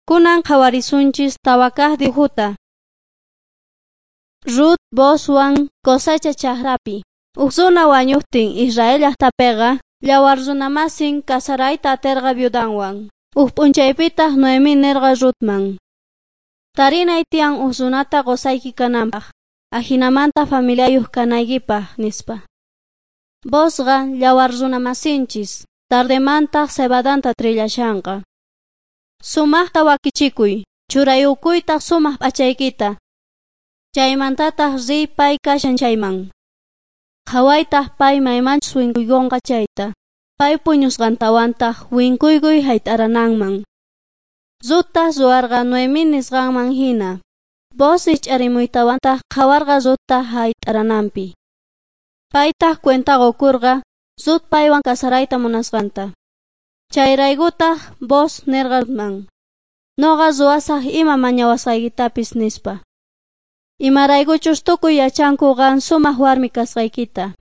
Kunan qhawarisunchis 4 kaq dibujuta. Rut Boozwan cosecha chakrapi. Uj runa wañuqtin Israel llaqtapiqa yawar runamasin kasarayta atirqa viudanwan. Uj p'unchaypitaq Noemí nirqa Rutman: Tarinay tiyan uj runata qusayki kananpaq, ajinamanta familiayuq kanaykipaq, nispa. Boozqa yawar runamasinchis, tardemantaq cebadanta trillashanqa. Sumaqta wakichikuy, churayukuytaq sumaq p'achaykita. Chaymantataq riy pay kashan chayman. Qhawaytaq pay maymanchus winkuykunqa chayta. Pay puñusqantawantaq winkuykuy hayt'arananman. Ruttaq ruwarqa Noemí nisqanman hina. Booz rikch'arimuytawantaq qhawarqa Rutta hayt'arananpi. Paytaq cuenta qukurqa Rut paywan kasarayta munasqanta. Chayraykutaq Booz nirqa Rutman: Nuqa ruwasaq ima mañawasqaykitapis, nispa. Imaraykuchus tukuy yachanku qan sumaq warmi kasqaykita.